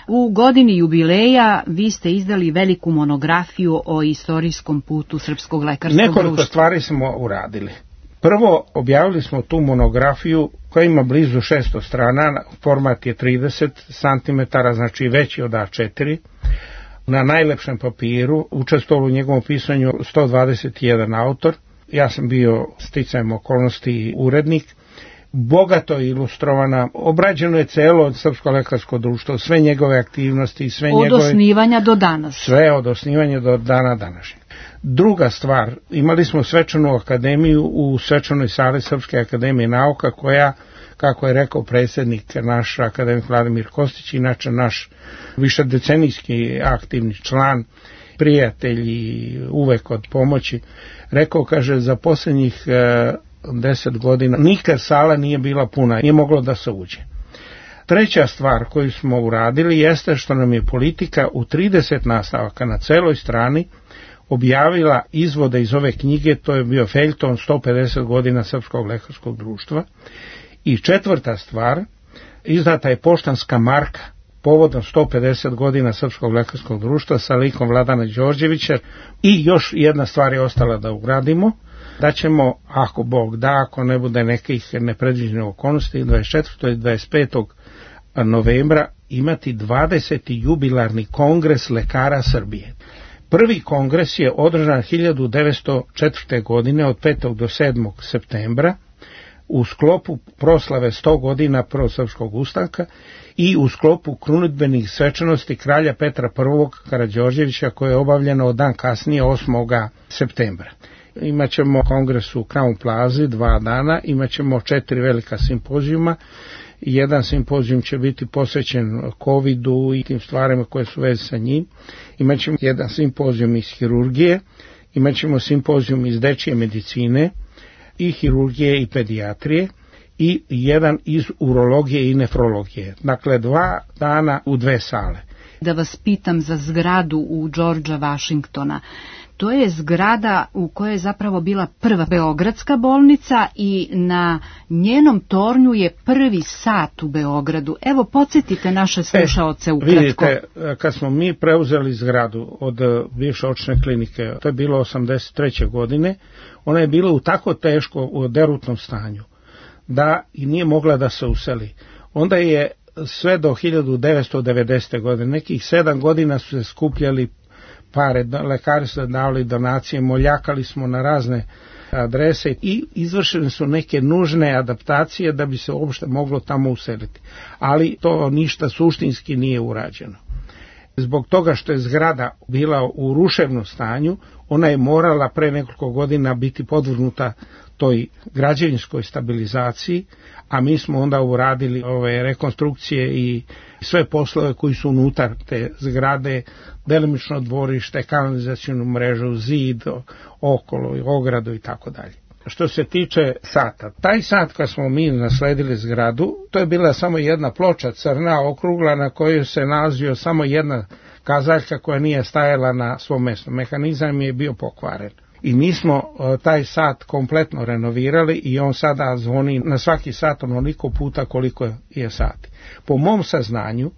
U godini jubileja vi ste izdali veliku monografiju o istorijskom putu Srpskog lekarskog društva. Nekoliko stvari smo uradili. Prvo, objavili smo tu monografiju koja ima blizu šesto strana, format je trideset centimetara, znači veći od A četiri. Na najlepšem papiru, učestvovao u njegovom pisanju sto dvadeset jedan autor. Ja sam bio sticajem okolnosti urednik. Bogato je ilustrovana, obrađeno je celo Srpsko lekarsko društvo, sve njegove aktivnosti, sve od njegove... Od osnivanja do danas. Sve od osnivanja do dana današnjeg. Druga stvar, imali smo svečanu akademiju u svečanoj sali Srpske akademije nauka koja, kako je rekao predsjednik naš akademik Vladimir Kostić, inače naš višedecenijski aktivni član, prijatelj i uvek od pomoći, rekao, kaže, za posljednjih e, deset godina nikad sala nije bila puna, nije moglo da se uđe. Treća stvar koju smo uradili jeste što nam je politika u trideset nastavaka na celoj strani objavila izvode iz ove knjige, to je bio feljton sto pedeset godina Srpskog lekarskog društva. I četvrta stvar, izdata je poštanska marka povodom sto pedeset godina Srpskog lekarskog društva sa likom Vladana Đorđevića. I još jedna stvar je ostala da ugradimo, da ćemo, ako Bog da, ako ne bude nekih nepredviđenih okolnosti, dvadeset četvrtog i dvadeset petog novembra imati dvadeseti jubilarni kongres lekara Srbije. Prvi kongres je održan hiljadu devetsto četvrte. godine od petog do sedmog septembra u sklopu proslave sto godina Prvog srpskog ustanka i u sklopu krunidbenih svečanosti kralja Petra prvog Karađorđevića koje je obavljeno dan kasnije osmog septembra. Imaćemo kongres u Crown Plazi dva dana, imaćemo četiri velika simpozijuma. Jedan simpozijum će biti posvećen covidu i tim stvarima koje su veze sa njim. Imaćemo jedan simpozijum iz hirurgije, imaćemo simpozijum iz dečje medicine i hirurgije i pedijatrije i jedan iz urologije i nefrologije. Dakle, dva dana u dve sale. Da vas pitam za zgradu u Georgea Washingtona. To je zgrada u kojoj je zapravo bila prva beogradska bolnica i na njenom tornju je prvi sat u Beogradu. Evo, podsjetite naše slušaoce ukratko. Vidite, kad smo mi preuzeli zgradu od bivše očne klinike, to je bilo osamdeset treće. godine, ona je bila u tako teško u derutnom stanju da i nije mogla da se useli. Onda je sve do hiljadu devetsto devedesete. godine, nekih sedam godina su se skupljali pare, lekari su davali donacije, moljakali smo na razne adrese i izvršene su neke nužne adaptacije da bi se uopšte moglo tamo useliti. Ali to ništa suštinski nije urađeno. Zbog toga što je zgrada bila u ruševnom stanju, ona je morala pre nekoliko godina biti podvrgnuta toj građevinskoj stabilizaciji, a mi smo onda uradili ove rekonstrukcije i sve poslove koji su unutar te zgrade, delimično dvorište, kanalizacijnu mrežu, zid, okolo, ogradu i tako dalje. Što se tiče sata, taj sat kad smo mi nasledili zgradu, to je bila samo jedna ploča crna, okrugla, na kojoj se nalazio samo jedna kazaljka koja nije stajala na svom mjestu. Mehanizam je bio pokvaren. I mi smo taj sat kompletno renovirali i on sada zvoni na svaki sat onoliko puta koliko je sati. Po mom saznanju,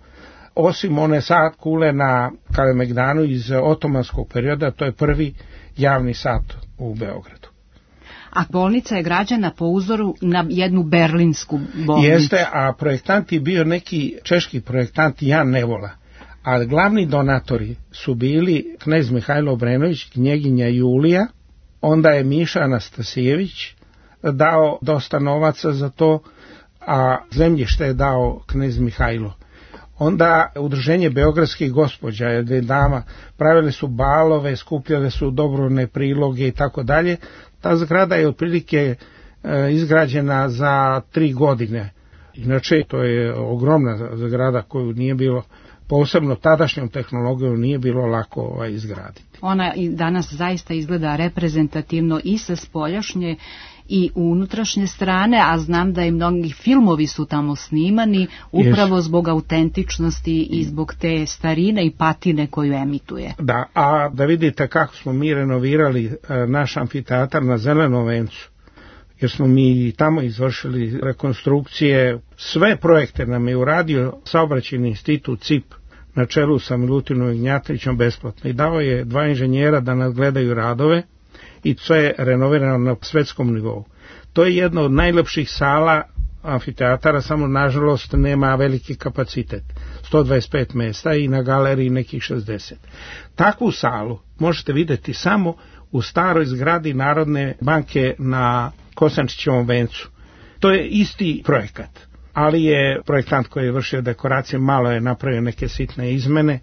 osim one sat kule na Kalemegdanu iz otomanskog perioda, to je prvi javni sat u Beogradu. A bolnica je građena po uzoru na jednu berlinsku bolnicu. Jeste, a projektant je bio neki češki projektant Jan Nevola. A glavni donatori su bili knez Mihajlo Obrenović, knjeginja Julija, onda je Miša Anastasijević dao dosta novaca za to, a zemljište je dao knez Mihajlo. Onda udruženje beogradskih gospođa, je dama, pravili su balove, skupljale su dobrovne priloge i tako dalje. Ta zgrada je otprilike e, izgrađena za tri godine. Inače, to je ogromna zgrada koju nije bilo posebno tadašnjom tehnologijom nije bilo lako ovaj, izgraditi. Ona i danas zaista izgleda reprezentativno i sa spoljašnje i unutrašnje strane, a znam da i mnogi filmovi su tamo snimani upravo Jesu. Zbog autentičnosti i zbog te starine i patine koju emituje. Da, a da vidite kako smo mi renovirali naš amfiteatar na Zelenom vencu, jer smo mi tamo izvršili rekonstrukcije, sve projekte nam je uradio Saobraćajni institut C I P na čelu sa Milutinom Ignjatovićem besplatno i dao je dva inženjera da nadgledaju radove i sve je renovirano na svetskom nivou. To je jedna od najlepših sala amfiteatara, samo nažalost nema veliki kapacitet, sto dvadeset pet mesta i na galeriji nekih šezdeset. Takvu salu možete vidjeti samo u staroj zgradi Narodne banke na Kosančićevom vencu. To je isti projekat, ali je projektant koji je vršio dekoracije malo je napravio neke sitne izmene,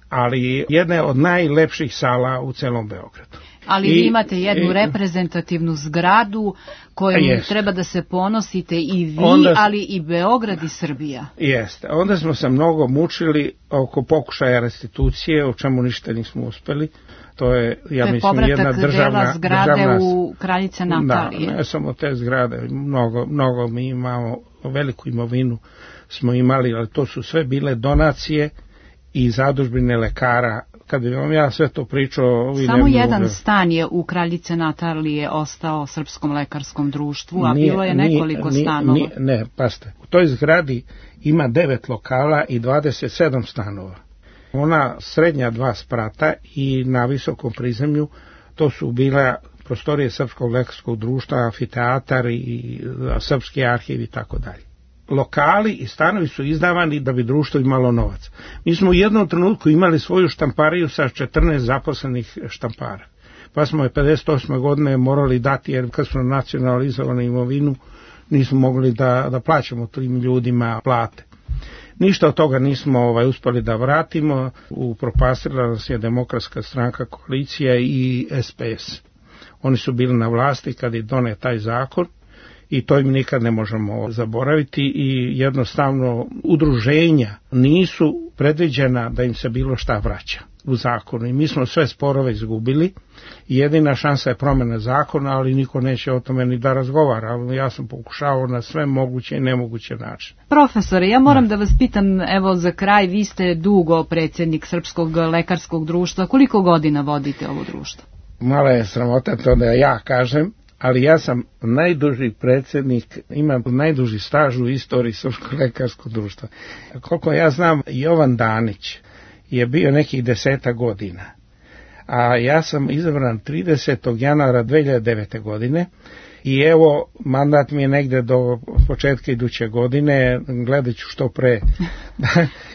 ali jedna od najlepših sala u celom Beogradu. Ali I, vi imate jednu i, reprezentativnu zgradu kojom jest. Treba da se ponosite i vi, onda, ali i Beograd i Srbija. Jeste. Onda smo se mnogo mučili oko pokušaja restitucije, o čemu ništa nismo uspeli. To je, ja to mislim, jedna državna... dela zgrade državna, u Kraljice Natalije. Da, ne samo te zgrade, mnogo, mnogo mi imamo, veliku imovinu smo imali, ali to su sve bile donacije i zadužbine lekara. Kad bi vam ja sve to pričao... Samo jedan mogu... stan je u Kraljice Natalije ostao Srpskom lekarskom društvu, a nije, bilo je nekoliko nije, stanova. Nije, ne, paste, u toj zgradi ima devet lokala i dvadeset sedam stanova. Ona srednja dva sprata i na visokom prizemlju to su bila prostorije Srpskog lekarskog društva, amfiteatar i Srpski arhiv i tako dalje. Lokali i stanovi su izdavani da bi društvo imalo novac. Mi smo u jednom trenutku imali svoju štampariju sa četrnaest zaposlenih štampara. Pa smo je pedeset osme godine morali dati, jer kad smo nacionalizovali imovinu, nismo mogli da, da plaćamo tim ljudima plate. Ništa od toga nismo ovaj, uspeli da vratimo, upropastila nas je Demokratska stranka, koalicija i S P S. Oni su bili na vlasti kad je donet taj zakon i to im nikad ne možemo zaboraviti i jednostavno udruženja nisu predviđena da im se bilo šta vraća u zakonu i mi smo sve sporove izgubili i jedina šansa je promjena zakona, ali niko neće o tome ni da razgovara. Ja sam pokušao na sve moguće i nemoguće načine. Profesore, ja moram da vas pitam, evo za kraj, vi ste dugo predsjednik Srpskog lekarskog društva, koliko godina vodite ovo društvo? Mala je sramota to da ja kažem, ali ja sam najduži predsjednik, imam najduži staž u istoriji Srpskog lekarskog društva. Koliko ja znam, Jovan Danić je bio nekih deseta godina, a ja sam izabran tridesetog januara dve hiljade devete. godine i evo, mandat mi je negde do početka iduće godine, gledat ću što pre,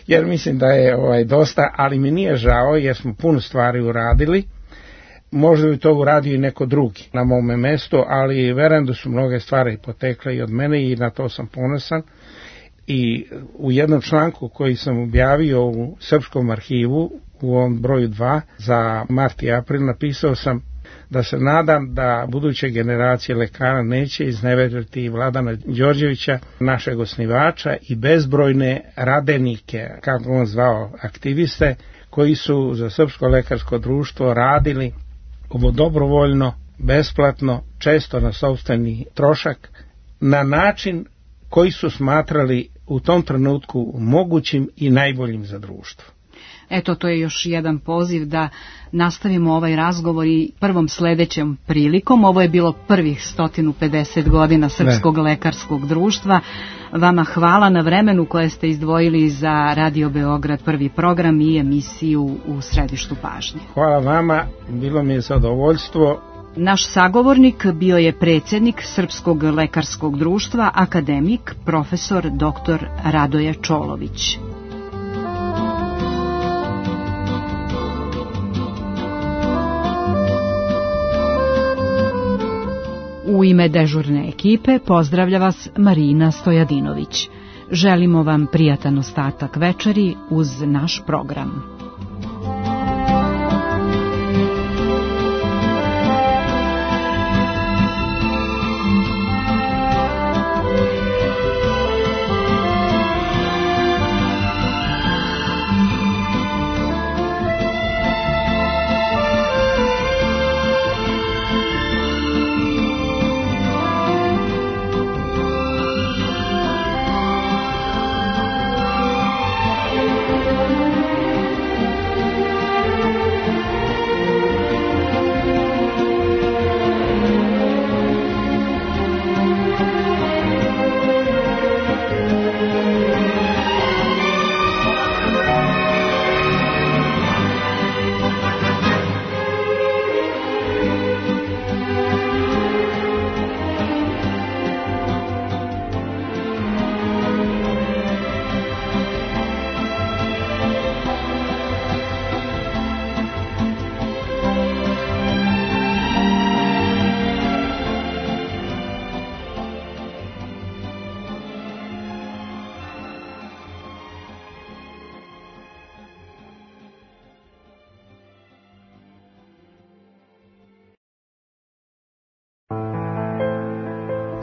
jer mislim da je ovaj, dosta, ali mi nije žao jer smo puno stvari uradili. Možda bi to uradio i neko drugi na mome mestu, ali verujem da su mnoge stvari potekle i od mene i na to sam ponosan. I u jednom članku koji sam objavio u Srpskom arhivu, u ovom broju dva, za mart i april, napisao sam da se nadam da buduće generacije lekara neće izneveriti Vladana Đorđevića, našeg osnivača, i bezbrojne radenike, kako on zvao, aktiviste, koji su za Srpsko lekarsko društvo radili ovo dobrovoljno, besplatno, često na sopstveni trošak, na način koji su smatrali u tom trenutku mogućim i najboljim za društvo. Eto, to je još jedan poziv da nastavimo ovaj razgovor i prvom sledećem prilikom. Ovo je bilo prvih sto pedeset godina Srpskog ne. lekarskog društva. Vama hvala na vremenu koje ste izdvojili za Radio Beograd prvi program i emisiju U središtu pažnje. Hvala vama, bilo mi je zadovoljstvo. Naš sagovornik bio je predsjednik Srpskog lekarskog društva, akademik, profesor doktor Radoje Čolović. U ime dežurne ekipe pozdravlja vas Marina Stojadinović. Želimo vam prijatan ostatak večeri uz naš program.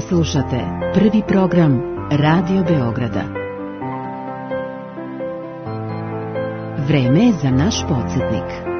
Slušate prvi program Radio Beograda. Vreme je za naš podsjetnik.